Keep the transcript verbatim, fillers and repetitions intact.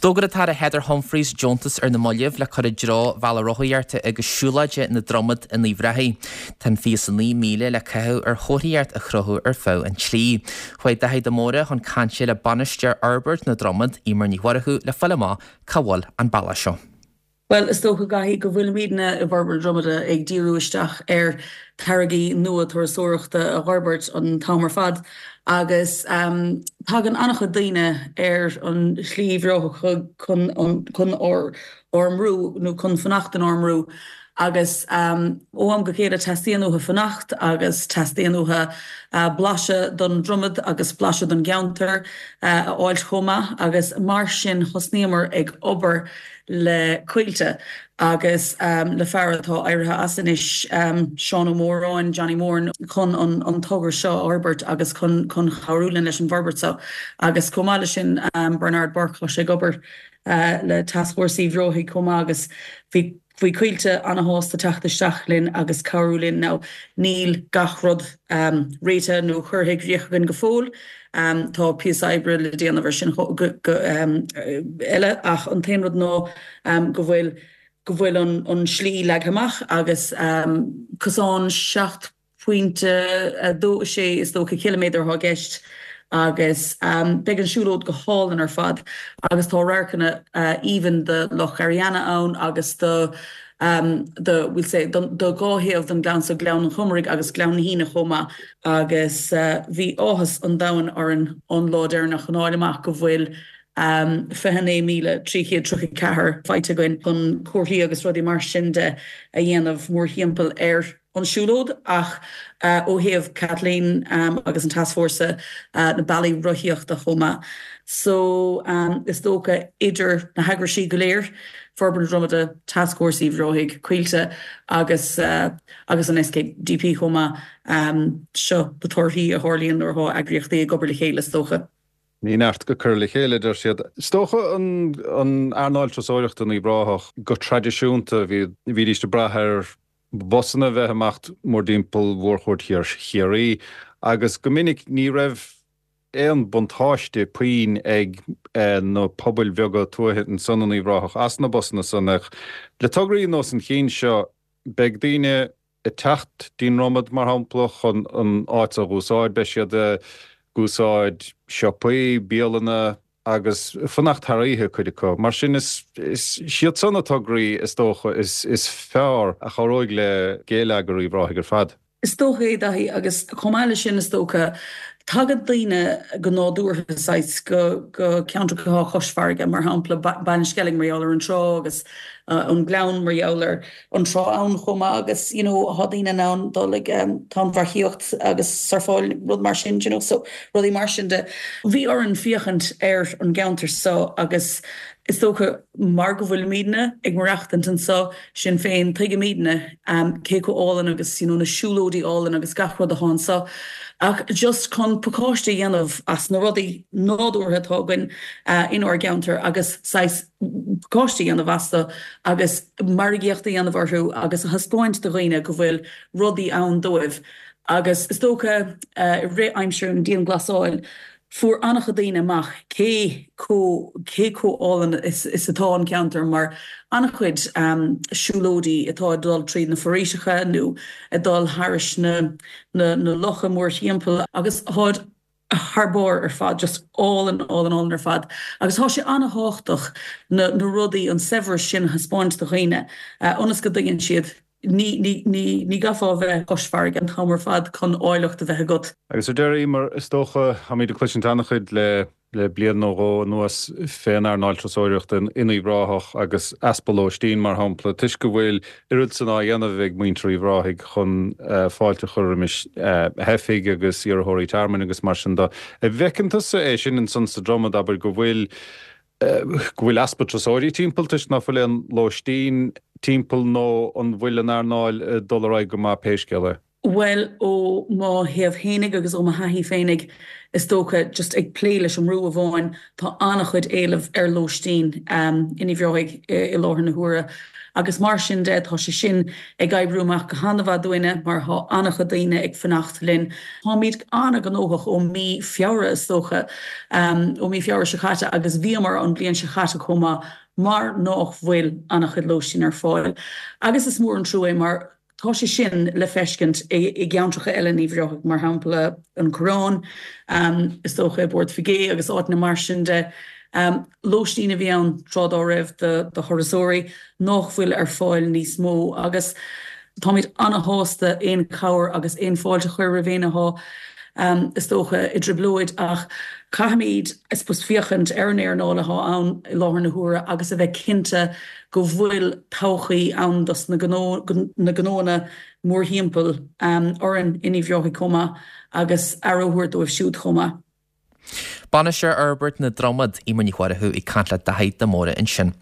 D'fhógair an tAire Heather Humphreys deontas ar na mallaibh le cur i dtreo bhealach rothaíochta agus siúlóide na Dromad in Uíbh Ráthaigh. Tá an fiche naoi míle le caitheamh ar chomharthaíocht a chruthú ar feadh an tslí. Chuaigh Daithí de Mórdha chun cainte le bainisteoir Fhorbairt na Dromad, Emer Ní Mhurchú, le fáil amach cá bhfuil an bealach seo. Well, is dócha Daithí go bhfuilimidne i bhForbairt na Dromada ag díriú isteach ar táirgí nua turasóireachta a fhorbairt an t-am ar fad agus um, tagann an-chuid daoine ar an slí bhreátha chun chun ár ár mbrú nó chun fanacht in ár mbrú. Agus um, ó am go chéile teastaíonn uathu fanacht agus teastaíonn uathu uh, blaiseadh den Dromad agus blaiseadh den gceantar uh, a fháil chomh maith agus mar sin thosnaíomar ag obair le Coillte agus um, le fear atá éirithe as anois um, Seán Ó Móráin, Johnny Moran chun an, an togra seo a fhorbairt agus chun chun cabhrú linn leis an bhforbairt seo. Agus chomh maith leis sin um, Bernard Burke sé ag obair uh, le Tascfhórsa Uíbh Ráthaigh chomh maith agus bhí bhí Coillte an-sásta teacht isteach linn agus cabhrú linn now níl gach rud um, réitithe nó curtha i gcrích againn go fóill. Um, tá píosa oibre le déanamh sin go, go, um, eile ach an t-aon rud ná um, go bhfuil go bhfuil an, an slí leagtha amach agus um, cosán seacht pointe dó sé is dócha kilometer atá i gceist agus um, beidh an siúlóid go hálainn ar fad agus tá radharcanna uh, even de Loch Ariana ann agus do um, the we'll say do dhá thaobh den gleann so Gleann an Chomaraigh agus Gleann na hAoine chomh maith agus uh, bhí áthas an domhain orainn an lá deireanach chun fháil amach go bhfuil um, fiche naoi míle trí chéad tríocha ceathair faighte againn chun comharthaí agus rudaí mar sin de a dhéanamh mórthimpeall ar an siúlóid ach uh, ó thaobh Kathleen um, agus an tascfhórsa uh, na bealaí rothaíochta chomh maith. So um, is dócha idir na heagraisí go léir, Forbairt na Dromada, Tascfhórsa Uíbh Ráthaigh, Coillte agus uh, agus an S K D P chomh maith um, seo na torthaí a tharlaíonn nuair atá eagraíochtaí ag obair le chéile is dócha. Ní neart go cur le chéile deir siad. Is dócha an an earnáil turasóireachta in Uíbh Ráthach go traidisiúnta bhí bhídís ag brath ar busanna bheith amach mórthimpeall mhórchuid Chiarraí agus go minic ní raibh aon buntáiste puinn ag eh, na pobail bheaga tuaithe ansan in Uíbh Ráthach as na busanna san ach le tograí ar nós an chinn seo beidh daoine ag teacht dtí'n Dromad mar shampla chun an áit a úsáid beidh siad ag úsáid siopaí, bialanna agus fanacht thar oíche cuid acu. Mar sin is iad san na tograí is dócha is, is fearr a chabhróidh le geilleagar Uíbh Ráthaigh ar fad. Is dócha é Daithí agus chomh maith leis sin is dócha tagann daoine go nádúrtha saghas go go ceantracha cois farraige mar shampla Ballinskellig mar gheall ar an trá agus uh, an Gleann mar gheall ar an trá ann chomh maith agus you know, tá daoine ann dul ag um, tonnmharcaíocht agus surfáil rud mar sin you know, so rudaí mar sin de. Bhí orainn féachaint ar an gceantar seo agus is dócha mar go bhfuilimidne ag maireachtaint anseo sin féin tuigimidne um, cé chomh álainn agus you know, na siúlóidí álainn agus gach rud atá anseo. Ach just chun pacáiste a dhéanamh as na rudaí nádúrtha atá againn uh, inár gceantar agus saghas pacáiste a dhéanamh astu agus margaíocht a dhéanamh orthu agus a thaispeáint do dhaoine go bhfuil rudaí ann dóibh. Agus is dócha uh, ré aimsir an dianghlasáil, fuair an-chuid daoine amach cé chomh cé chomh hálainn is, is atá an ceantar mar an-chuid um, siúlóidí atá ag dul tríd na foraoiseacha nó ag dul thairis na, na, na locha mórthimpeall agus táid thar barr ar fad just álainn álainn álainn ar fad. Agus tá sé an-tábhachtach na, na rudaí an saibhreas sin a thaispeáint do dhaoine uh, ionas go dtuigeann siad ní ní ní ní gá bheith cois farraige an t-am ar fad chun áilleacht a bheith agat. Agus ar deireadh mar is dócha táimid ag cloisint an-chuid le le bliain nó dhó anuas fén earnáil turasóireachta in Uíbh Ráthach agus easpa lóistín mar shampla, toisc go bhfuil oiread san á dhéanamh ag muintir Uíbh Ráthaigh chun uh, fáilte a chur roimis uh, theifigh agus iarrthóirí tearmainn agus mar sin de. An bhfeiceann tusa é sin ansan sa Dromad abair go bhfuil go bhfuil easpa turasóirí timpeall toisc nach bhfuil aon lóistín timpeall nó an bhfuil an earnáil dul ar aghaidh go maith pé scéal é. Bhuel ó mo thaobh féinig agus ó mo thaithí féinig is dócha just ag plé leis an mbrú amháin tá an-chuid éileamh ar lóistín um, in Uíbh Ráthaigh i láthair na huaire. Agus mar sin de tá sé sin ag oibriú amach go han-mhaith dúinne mar tá an-chuid daoine ag fanacht linn. Táimid an-ghnóthach ó mí Feabhra is dócha um, ó mí Feabhra seo caite agus bhíomar an bhliain seo caite chomh maith mar nach bhfuil an-chuid lóistín ar fáil. Agus is mór an trua mar Tá sé sin le feiscint i gceantracha eile in Uíbh Ráthaigh mar shampla an Coireán, um, is dócha i bPort Bhig agus áiteanna mar sin de. Um, lóistín a bhí ann tráth dá raibh do, do thurasóirí nach bhfuil ar fáil níos mó agus táimid an-shásta aon chabhair agus aon fáilte a chur roimh éinne atá um, is dócha i dtrioblóid ach caithfimid is dócha féachaint ar an earnáil atá ann i láthair na huaire agus a bheith cinnte go bhfuil todhchaí ann dos na na gnóanna mórthimpeall um, orainn in Uíbh Ráthaigh chomh maith agus aire a thabhairt dóibh siúd chomh maith. Bainisteoir Fhorbairt na Dromad Emer Ní Mhurchú ag caint le Daithí de Mórdha ansin.